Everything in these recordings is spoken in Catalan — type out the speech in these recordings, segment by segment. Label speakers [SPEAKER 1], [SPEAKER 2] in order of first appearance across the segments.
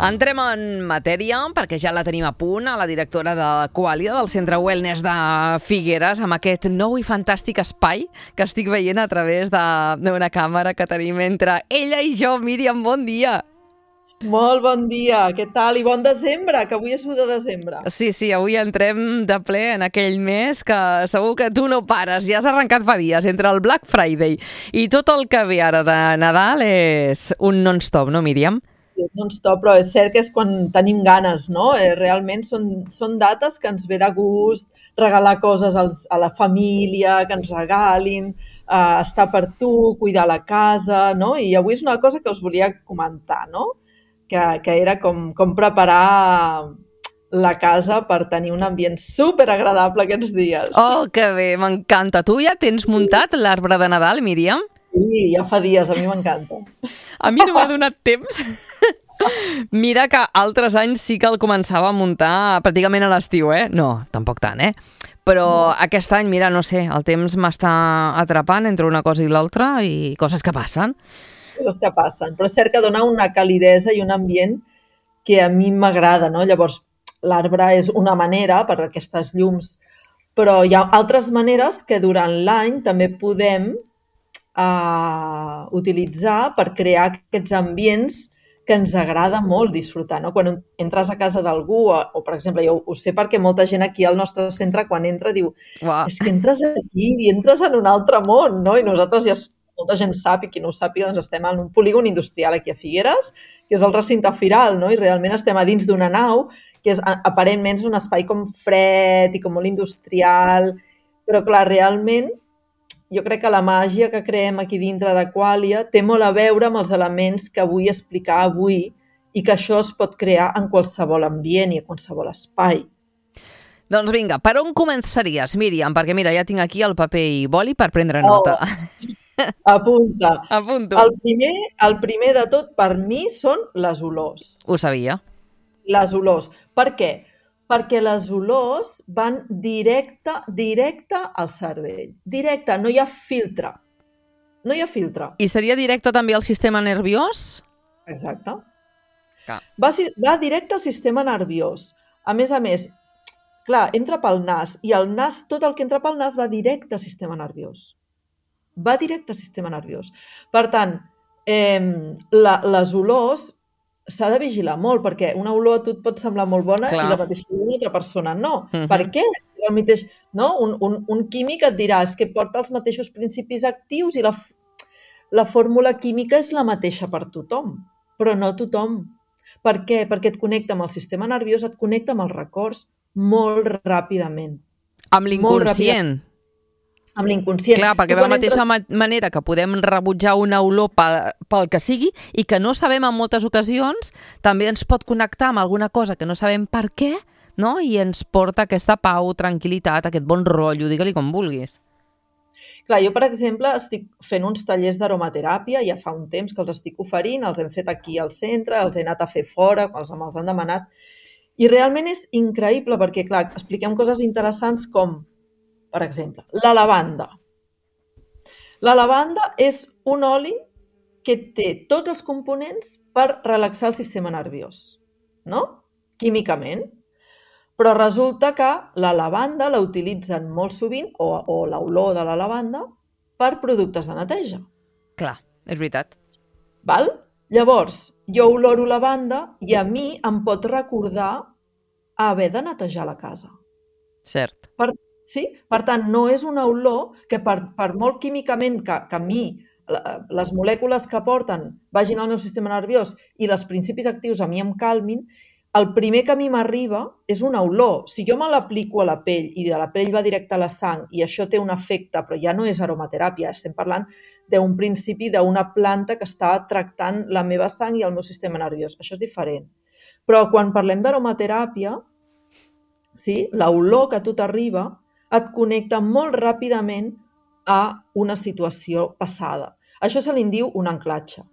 [SPEAKER 1] Entrem en matèria, perquè ja la tenim a punt, a la directora de Qualia, del Centre Wellness de Figueres, amb aquest nou i fantàstic espai que estic veient a través d'una càmera que tenim entre ella i jo. Míriam, bon dia!
[SPEAKER 2] Molt bon dia, què tal? I bon desembre, que avui és 1 de desembre.
[SPEAKER 1] Sí, avui entrem de ple en aquell mes que segur que tu no pares, ja has arrencat fa dies, entre el Black Friday i tot el que ve ara de Nadal és un non-stop, no, Míriam?
[SPEAKER 2] És non-stop, però és cert que és quan tenim ganes, no? Realment són dates que ens ve de gust, regalar coses a la família, que ens regalin, estar per tu, cuidar la casa, no? I avui és una cosa que us volia comentar, no? Que era com preparar la casa per tenir un ambient superagradable aquests dies.
[SPEAKER 1] Oh, que bé, m'encanta. Tu ja tens muntat l'arbre de Nadal, Míriam?
[SPEAKER 2] Sí, ja fa dies, a mi m'encanta.
[SPEAKER 1] A mi no m'ha donat temps. Mira que altres anys sí que el començava a muntar pràcticament a l'estiu, eh? No, tampoc tant, eh? Però aquest any, mira, no sé, el temps m'està atrapant entre una cosa i l'altra i coses que passen.
[SPEAKER 2] Coses que passen, però és cert que dona una calidesa i un ambient que a mi m'agrada, no? Llavors, l'arbre és una manera per aquestes llums, però hi ha altres maneres que durant l'any també podem utilitzar per crear aquests ambients que ens agrada molt disfrutar, no? Quan entres a casa d'algú, o per exemple, jo ho sé perquè molta gent aquí al nostre centre quan entra diu és que entres aquí i entres en un altre món, no? I nosaltres ja molta gent sap, i qui no ho sàpiga, doncs estem en un polígon industrial aquí a Figueres, que és el recinte firal, no? I realment estem a dins d'una nau, que és aparentment un espai com fred i com molt industrial, però clar, realment jo crec que la màgia que creem aquí dintre de Qualia té molt a veure amb els elements que vull explicar avui i que això es pot crear en qualsevol ambient i en qualsevol espai.
[SPEAKER 1] Doncs vinga, per on començaries, Míriam? Perquè mira, ja tinc aquí el paper i boli per prendre nota.
[SPEAKER 2] Apunta.
[SPEAKER 1] Apunto.
[SPEAKER 2] El primer de tot per mi són les olors.
[SPEAKER 1] Ho sabia.
[SPEAKER 2] Les olors. Per què? Perquè les olors van directe al cervell. Directe, no hi ha filtre. No hi ha filtre.
[SPEAKER 1] I seria directe també al sistema nerviós?
[SPEAKER 2] Exacte.
[SPEAKER 1] Clar.
[SPEAKER 2] Va directe al sistema nerviós. A més, clar, entra pel nas, i el nas, tot el que entra pel nas va directe al sistema nerviós. Va directe al sistema nerviós. Per tant, les olors s'ha de vigilar molt, perquè una olor a tu et pot semblar molt bona. Clar. I la mateixa una altra persona no. Per què? El mateix, no? Un químic et dirà és que porta els mateixos principis actius i la fórmula química és la mateixa per tothom, però no tothom. Per què? Perquè et connecta amb el sistema nerviós, et connecta amb els records molt ràpidament.
[SPEAKER 1] Amb l'inconscient.
[SPEAKER 2] Amb l'inconscient.
[SPEAKER 1] Clar, perquè de la mateixa manera que podem rebutjar una olor pel que sigui i que no sabem en moltes ocasions, també ens pot connectar amb alguna cosa que no sabem per què, no? I ens porta aquesta pau, tranquil·litat, aquest bon rotllo, digue-li com vulguis.
[SPEAKER 2] Clar, jo, per exemple, estic fent uns tallers d'aromateràpia, ja fa un temps que els estic oferint, els hem fet aquí al centre, els he anat a fer fora, els han demanat, i realment és increïble perquè, clar, expliquem coses interessants com, per exemple, la lavanda. La lavanda és un oli que té tots els components per relaxar el sistema nerviós, no? Químicament. Però resulta que la lavanda la utilitzen molt sovint, o l'olor de la lavanda, per productes de neteja.
[SPEAKER 1] Clar, és veritat.
[SPEAKER 2] Val? Llavors, jo oloro lavanda i a mi em pot recordar haver de netejar la casa.
[SPEAKER 1] Cert.
[SPEAKER 2] Sí? Per tant, no és una olor que per molt químicament que a mi les molècules que porten vagin al meu sistema nerviós i els principis actius a mi em calmin, el primer que a mi m'arriba és una olor. Si jo me l'aplico a la pell i de la pell va directe a la sang i això té un efecte, però ja no és aromateràpia, estem parlant d'un principi d'una planta que està tractant la meva sang i el meu sistema nerviós. Això és diferent. Però quan parlem d'aromateràpia, sí, l'olor que a tu t'arriba et connecta molt ràpidament a una situació passada. Això se li diu un anclatge.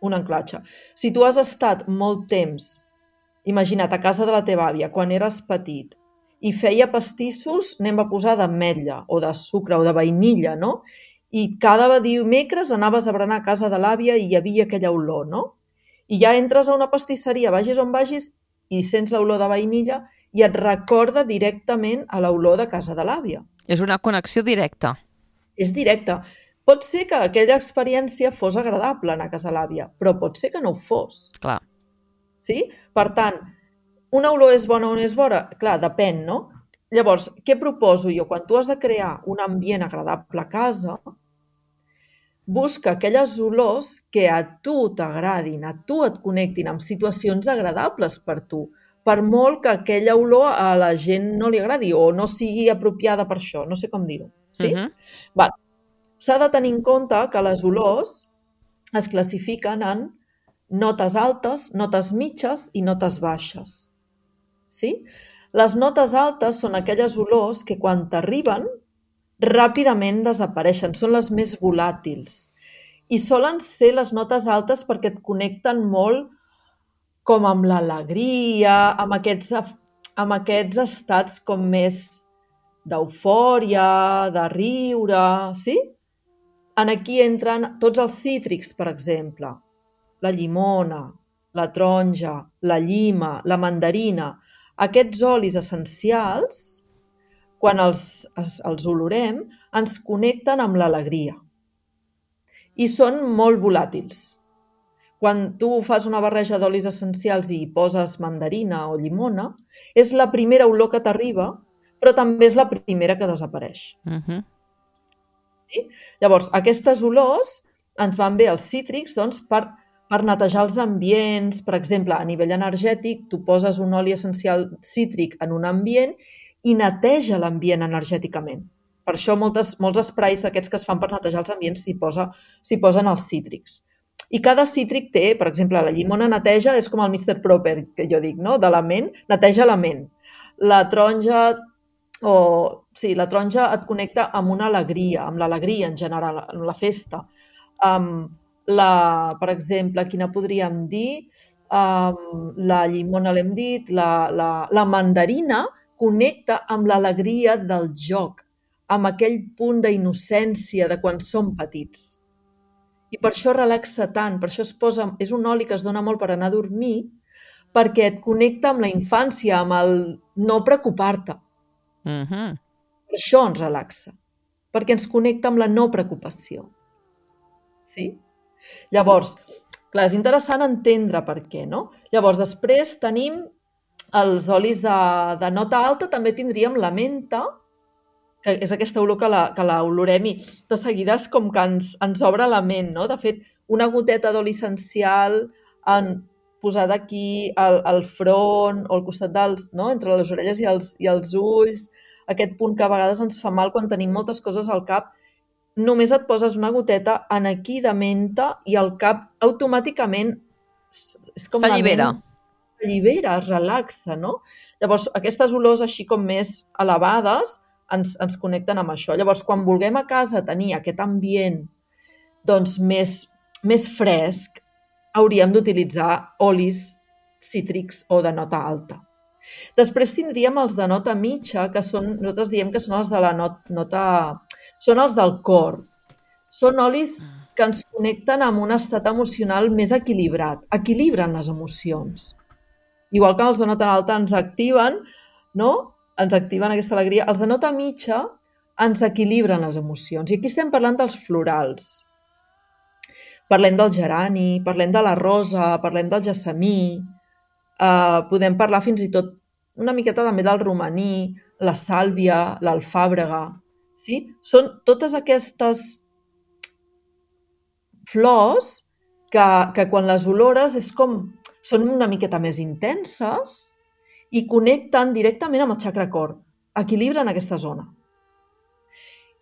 [SPEAKER 2] Un anclatge. Si tu has estat molt temps, imagina't, a casa de la teva àvia, quan eres petit, i feia pastissos, anem a posar d'ametlla, o de sucre, o de vainilla, no? I cada dimecres anaves a berenar a casa de l'àvia i hi havia aquella olor, no? I ja entres a una pastisseria, vagis on vagis, i sents l'olor de vainilla i et recorda directament a l'olor de casa de l'àvia.
[SPEAKER 1] És una connexió directa.
[SPEAKER 2] És directe. Pot ser que aquella experiència fos agradable anar a casa de l'àvia, però pot ser que no ho fos.
[SPEAKER 1] Clar.
[SPEAKER 2] Sí? Per tant, una olor és bona o no és bona? Clar, depèn, no? Llavors, què proposo jo? Quan tu has de crear un ambient agradable a casa, busca aquelles olors que a tu t'agradin, a tu et connectin amb situacions agradables per tu, per molt que aquella olor a la gent no li agradi o no sigui apropiada per això, no sé com dir-ho. Sí? Val. S'ha de tenir en compte que les olors es classifiquen en notes altes, notes mitges i notes baixes. Sí? Les notes altes són aquelles olors que quan t'arriben ràpidament desapareixen, són les més volàtils. I solen ser les notes altes perquè et connecten molt com amb l'alegria, amb aquests estats com més d'eufòria, de riure, sí? En aquí entren tots els cítrics, per exemple, la llimona, la taronja, la llima, la mandarina. Aquests olis essencials, quan els olorem, ens connecten amb l'alegria i són molt volàtils. Quan tu fas una barreja d'olis essencials i hi poses mandarina o llimona, és la primera olor que t'arriba, però també és la primera que desapareix. Sí? Llavors, aquestes olors ens van bé els cítrics doncs, per netejar els ambients. Per exemple, a nivell energètic, tu poses un oli essencial cítric en un ambient i neteja l'ambient energèticament. Per això molts esprais d'aquests que es fan per netejar els ambients s'hi posen els cítrics. I cada cítric té, per exemple, la llimona neteja, és com el Mr. Proper, que jo dic, no? De la ment, neteja la ment. La taronja et connecta amb una alegria, amb l'alegria en general, amb la festa. Per exemple, quina podríem dir? La llimona l'hem dit, la mandarina connecta amb l'alegria del joc, amb aquell punt d'innocència de quan som petits. I per això relaxa tant, per això és un oli que es dona molt per anar a dormir, perquè et connecta amb la infància, amb el no preocupar-te. Per això ens relaxa, perquè ens connecta amb la no preocupació. Sí? Llavors, clar, és interessant entendre per què, no? Llavors, després tenim els olis de nota alta, també tindríem la menta, que és aquesta olor que l'olorem i de seguida és com que ens obre la ment, no? De fet, una goteta d'oli essencial posada aquí al front o al costat no? Entre les orelles i els ulls, aquest punt que a vegades ens fa mal quan tenim moltes coses al cap, només et poses una goteta en aquí de menta i el cap automàticament
[SPEAKER 1] s'allibera.
[SPEAKER 2] S'allibera, es relaxa, no? Llavors, aquestes olors així com més elevades ens connecten amb això. Llavors, quan vulguem a casa tenir aquest ambient doncs, més fresc, hauríem d'utilitzar olis cítrics o de nota alta. Després tindríem els de nota mitja, que nosaltres diem que són els de la nota... Són els del cor. Són olis que ens connecten amb un estat emocional més equilibrat. Equilibren les emocions. Igual que els de nota alta ens activen, no? Ens activen aquesta alegria. Els de nota mitja ens equilibren les emocions. I aquí estem parlant dels florals. Parlem del gerani, parlem de la rosa, parlem del gessamí, podem parlar fins i tot una miqueta també del romaní, la sàlvia, l'alfàbrega. Sí? Són totes aquestes flors que quan les olores són una miqueta més intenses i connecten directament amb el xacra cor, equilibren aquesta zona.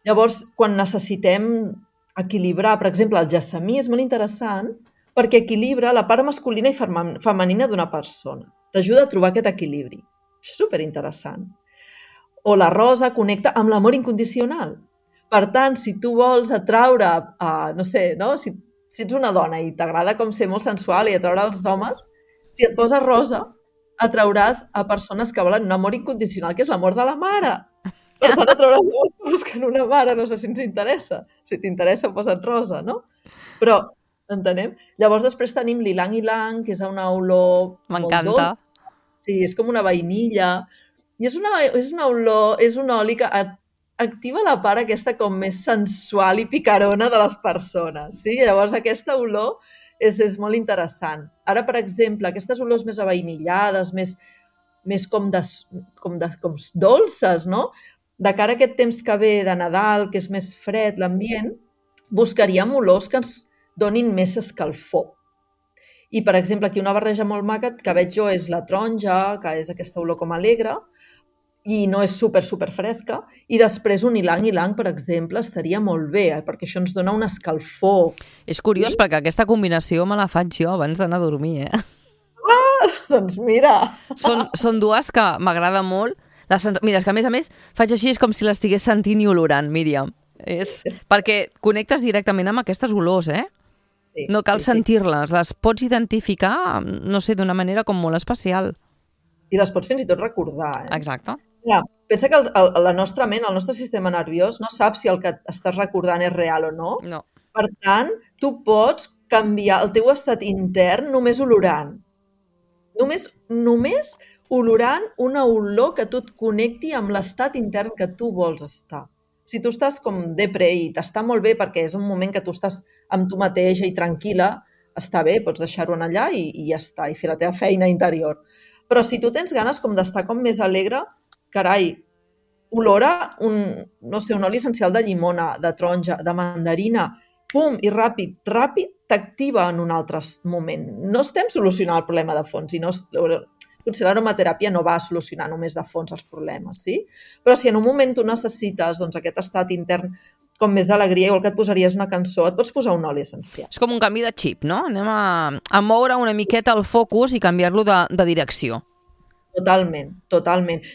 [SPEAKER 2] Llavors, quan necessitem equilibrar, per exemple, el gessamí és molt interessant perquè equilibra la part masculina i femenina d'una persona. T'ajuda a trobar aquest equilibri. És superinteressant. O la rosa connecta amb l'amor incondicional. Per tant, si tu vols atraure, no sé, no? Si ets una dona i t'agrada com ser molt sensual i atraure els homes, si et poses rosa, atrauràs a persones que volen un amor incondicional, que és l'amor de la mare. Per tant, atrauràs homes que busquen una mare, no sé si ens interessa. Si t'interessa, posa't rosa, no? Però Entenem? Llavors després tenim l'ilang-ilang, que és una olor molt
[SPEAKER 1] M'encanta.
[SPEAKER 2] dolça. Sí, és com una vainilla. I és una olor, és un oli que activa la part aquesta com més sensual i picarona de les persones. Sí? Llavors aquesta olor és molt interessant. Ara, per exemple, aquestes olors més avainillades, més com dolces, no? De cara a aquest temps que ve de Nadal, que és més fred l'ambient, buscaríem olors que ens donin més escalfor. I, per exemple, aquí una barreja molt maca que veig jo és la taronja, que és aquesta olor com alegre, i no és super fresca, i després un ilang-ilang, per exemple, estaria molt bé, perquè això ens dona un escalfor.
[SPEAKER 1] És curiós, perquè aquesta combinació me la faig jo abans d'anar a dormir,
[SPEAKER 2] Doncs mira...
[SPEAKER 1] Són dues que m'agrada molt. Mira, és que a més faig així, és com si l'estigués sentint i olorant, Míriam. Perquè connectes directament amb aquestes olors,
[SPEAKER 2] Sí,
[SPEAKER 1] no cal
[SPEAKER 2] sí.
[SPEAKER 1] sentir-les, les pots identificar, no sé, d'una manera com molt especial.
[SPEAKER 2] I les pots fins i tot recordar,
[SPEAKER 1] Exacte.
[SPEAKER 2] Ja, pensa que la nostra ment, el nostre sistema nerviós, no sap si el que estàs recordant és real o no.
[SPEAKER 1] No.
[SPEAKER 2] Per tant, tu pots canviar el teu estat intern només olorant. Només olorant una olor que tu et connecti amb l'estat intern que tu vols estar. Si tu estàs com depre i t'està molt bé perquè és un moment que tu estàs amb tu mateixa i tranquil·la, està bé, pots deixar-ho allà i ja està, i fer la teva feina interior. Però si tu tens ganes com d'estar com més alegre, carai, olora un oli essencial de llimona, de taronja, de mandarina, pum, i ràpid t'activa en un altre moment. No estem solucionant el problema de fons, potser l'aromateràpia no va a solucionar només de fons els problemes, sí? Però si en un moment tu necessites aquest estat intern com més d'alegria, igual que et posaries una cançó, et pots posar un oli essencial.
[SPEAKER 1] És com un canvi de xip, no? Anem a moure una miqueta el focus i canviar-lo de direcció.
[SPEAKER 2] Totalment.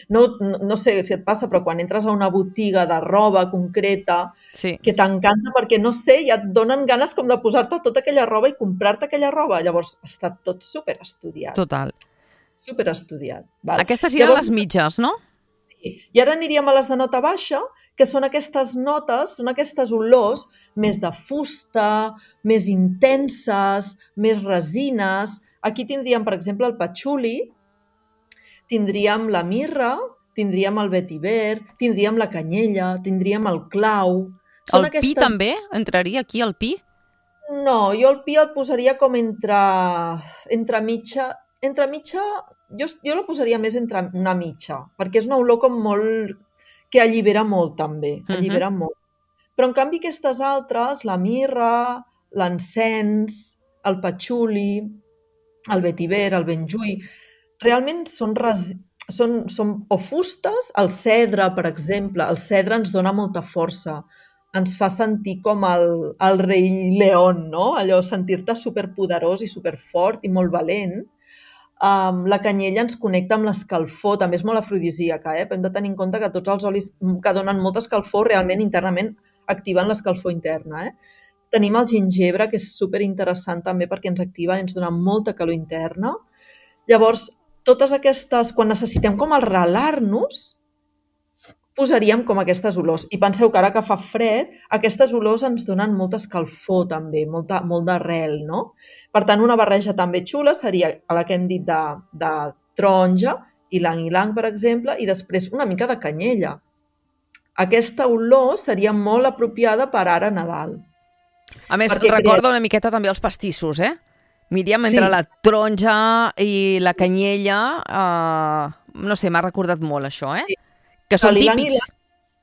[SPEAKER 2] No sé si et passa, però quan entres a una botiga de roba concreta,
[SPEAKER 1] sí,
[SPEAKER 2] que t'encanta perquè, no sé, ja et donen ganes com de posar-te tota aquella roba i comprar-te aquella roba. Llavors, està tot superestudiat.
[SPEAKER 1] Total.
[SPEAKER 2] Superestudiat. Val?
[SPEAKER 1] Aquestes eren les mitges, no?
[SPEAKER 2] Sí. I ara aniríem a les de nota baixa, que són aquestes notes, són aquestes olors més de fusta, més intenses, més resines. Aquí tindríem, per exemple, el patxuli, tindríem la mirra, tindríem el vetiver, tindríem la canyella, tindríem el clau.
[SPEAKER 1] El pi també? Entraria aquí el pi?
[SPEAKER 2] No, jo el pi el posaria com entre mitja, jo la posaria més entre una mitja, perquè és una olor com molt, que allibera molt també, allibera molt. Però en canvi aquestes altres, la mirra, l'encens, el patxuli, el vetiver, el benjuí, realment són o fustes, el cedre, per exemple. El cedre ens dona molta força, ens fa sentir com el rei León, no? Allò, sentir-te superpoderós i superfort i molt valent. La canyella ens connecta amb l'escalfor, també és molt afrodisíaca, Hem de tenir en compte que tots els olis que donen molta escalfor realment internament activen l'escalfor interna, Tenim el gingebre, que és superinteressant també perquè ens activa i ens dona molta calor interna. Llavors, totes aquestes, quan necessitem com arrelar-nos, posaríem com aquestes olors. I penseu que ara que fa fred, aquestes olors ens donen molta escalfor també, molt d'arrel, no? Per tant, una barreja també xula seria la que hem dit de taronja, ilang-ilang, per exemple, i després una mica de canyella. Aquesta olor seria molt apropiada per ara a Nadal.
[SPEAKER 1] A més, recorda una miqueta també els pastissos, Míriam, entre la taronja i la canyella, no sé, m'ha recordat molt això,
[SPEAKER 2] Sí.
[SPEAKER 1] Que són típics.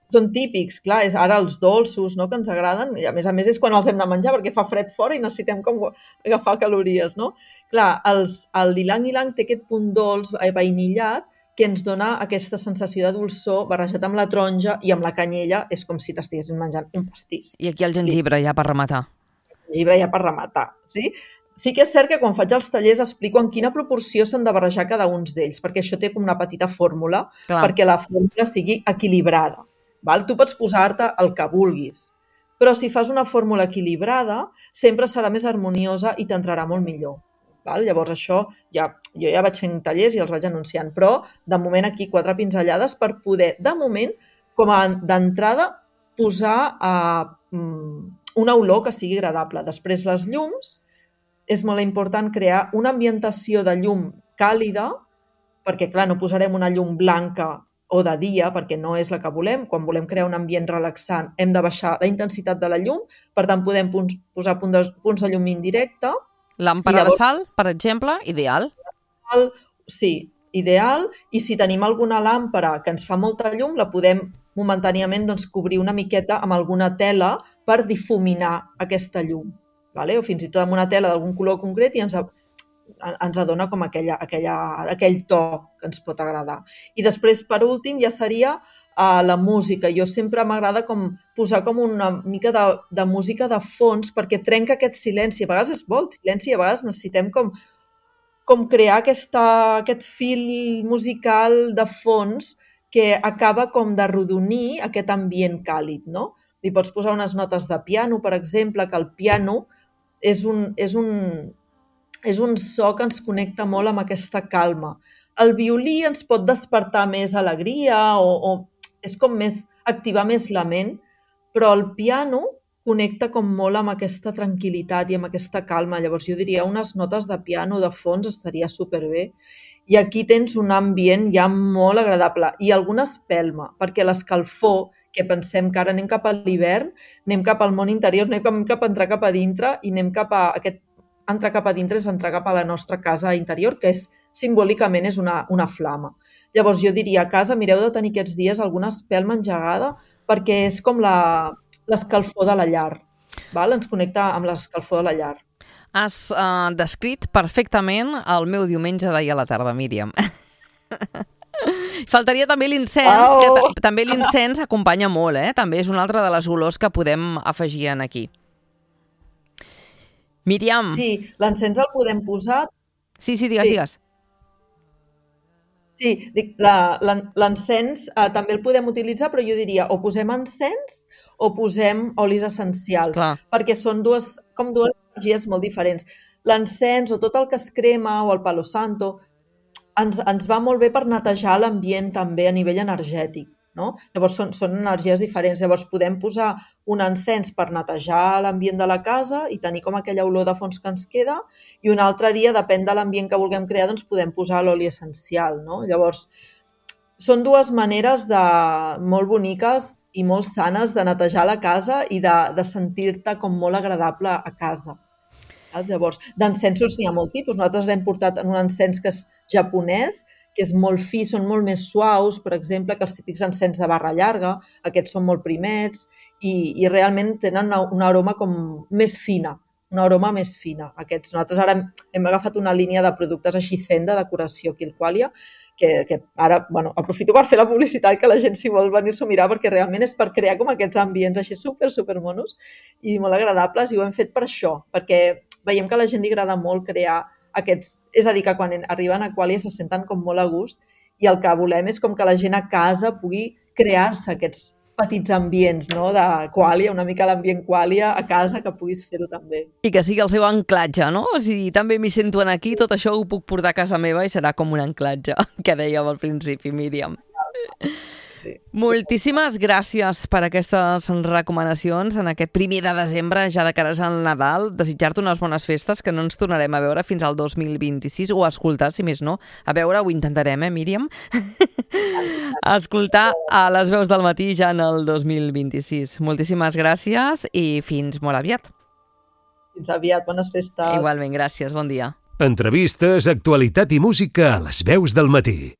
[SPEAKER 2] Són típics, clar, és ara els dolços, no?, que ens agraden, i a més és quan els hem de menjar, perquè fa fred fora i necessitem com agafar calories, no? Clar, l'ilang-ilang té aquest punt dolç, vainillat, que ens dona aquesta sensació de dolçor barrejat amb la taronja i amb la canyella, és com si t'estiguessin menjant un pastís.
[SPEAKER 1] I aquí el gengibre, ja per rematar.
[SPEAKER 2] El gengibre ja per rematar, sí? Sí que és cert que quan faig els tallers explico en quina proporció s'han de barrejar cada un d'ells, perquè això té com una petita fórmula, perquè la fórmula sigui equilibrada. Val? Tu pots posar-te el que vulguis, però si fas una fórmula equilibrada sempre serà més harmoniosa i t'entrarà molt millor. Val? Llavors això, jo ja vaig fent tallers i els vaig anunciant, però de moment aquí 4 pinzellades per poder, de moment, com a d'entrada, posar una olor que sigui agradable. Després, les llums, és molt important crear una ambientació de llum càlida, perquè, clar, no posarem una llum blanca o de dia, perquè no és la que volem. Quan volem crear un ambient relaxant, hem de baixar la intensitat de la llum, per tant, podem posar punts de llum indirecte.
[SPEAKER 1] Làmpara de sal, per exemple, ideal.
[SPEAKER 2] Sí, ideal. I si tenim alguna làmpara que ens fa molta llum, la podem momentàniament cobrir una miqueta amb alguna tela per difuminar aquesta llum. O fins i tot amb una tela d'algun color concret i ens adona com aquell to que ens pot agradar. I després, per últim, ja seria la música. Jo sempre m'agrada posar com una mica de música de fons perquè trenca aquest silenci. A vegades és bo el silenci i a vegades necessitem com crear aquest fil musical de fons que acaba com d'arrodonir aquest ambient càlid, no? Li pots posar unes notes de piano, per exemple, que el piano és un so que ens connecta molt amb aquesta calma. El violí ens pot despertar més alegria o és com activar més la ment, però el piano connecta com molt amb aquesta tranquil·litat i amb aquesta calma. Llavors jo diria unes notes de piano de fons estaria superbé. I aquí tens un ambient ja molt agradable i alguna espelma, perquè l'escalfor, que pensem que ara anem cap a l'hivern, anem cap al món interior, anem cap a entrar cap a dintre i anem cap a aquest entrar cap a dintre és entrar cap a la nostra casa interior, que simbòlicament és una flama. Llavors jo diria a casa mireu de tenir aquests dies alguna espelma engegada perquè és com l'escalfor de la llar. Ens connecta amb l'escalfor de la llar.
[SPEAKER 1] Has descrit perfectament el meu diumenge d'ahir a la tarda, Míriam. Faltaria també l'incens, que també l'incens acompanya molt, també és una altra de les olors que podem afegir aquí. Míriam.
[SPEAKER 2] Sí, l'encens el podem posar...
[SPEAKER 1] Sí, digues.
[SPEAKER 2] Sí, l'encens també el podem utilitzar, però jo diria o posem encens o posem olis essencials, perquè són dues energies molt diferents. L'encens o tot el que es crema o el palo santo ens va molt bé per netejar l'ambient també a nivell energètic, no? Llavors són energies diferents. Llavors podem posar un encens per netejar l'ambient de la casa i tenir com aquella olor de fons que ens queda i un altre dia, depèn de l'ambient que vulguem crear, doncs podem posar l'oli essencial, no? Llavors, són dues maneres molt boniques i molt sanes de netejar la casa i de sentir-te com molt agradable a casa. Llavors, d'encensos n'hi ha molt tipus. Nosaltres l'hem portat en un encens que és japonès, que és molt fi, són molt més suaus, per exemple, que els típics encens de barra llarga, aquests són molt primets i realment tenen una aroma com més fina, Aquests. Nosaltres ara hem agafat una línia de productes així zen de decoració aquí al Qualia, que ara, aprofito per fer la publicitat que la gent si vol venir-s'ho a mirar perquè realment és per crear com aquests ambients així super monos i molt agradables i ho hem fet per això, perquè veiem que a la gent li agrada molt crear aquests, és a dir, que quan arriben a Qualia se senten com molt a gust i el que volem és com que la gent a casa pugui crear-se aquests petits ambients, no? De Qualia, una mica l'ambient Qualia a casa, que puguis fer-ho també.
[SPEAKER 1] I que sigui el seu anclatge, no? O sigui, també m'hi sento aquí, tot això ho puc portar a casa meva i serà com un anclatge, que dèiem al principi, Míriam. Sí. Moltíssimes gràcies per aquestes recomanacions en aquest 1 de desembre, ja de cares al Nadal. Desitjar-te unes bones festes, que no ens tornarem a veure fins al 2026, o a escoltar, si més no. A veure, ho intentarem, Míriam? A escoltar a les veus del matí ja en el 2026. Moltíssimes gràcies i fins molt aviat.
[SPEAKER 2] Fins aviat, bones festes.
[SPEAKER 1] Igualment, gràcies, bon dia.
[SPEAKER 3] Entrevistes, actualitat i música a les veus del matí.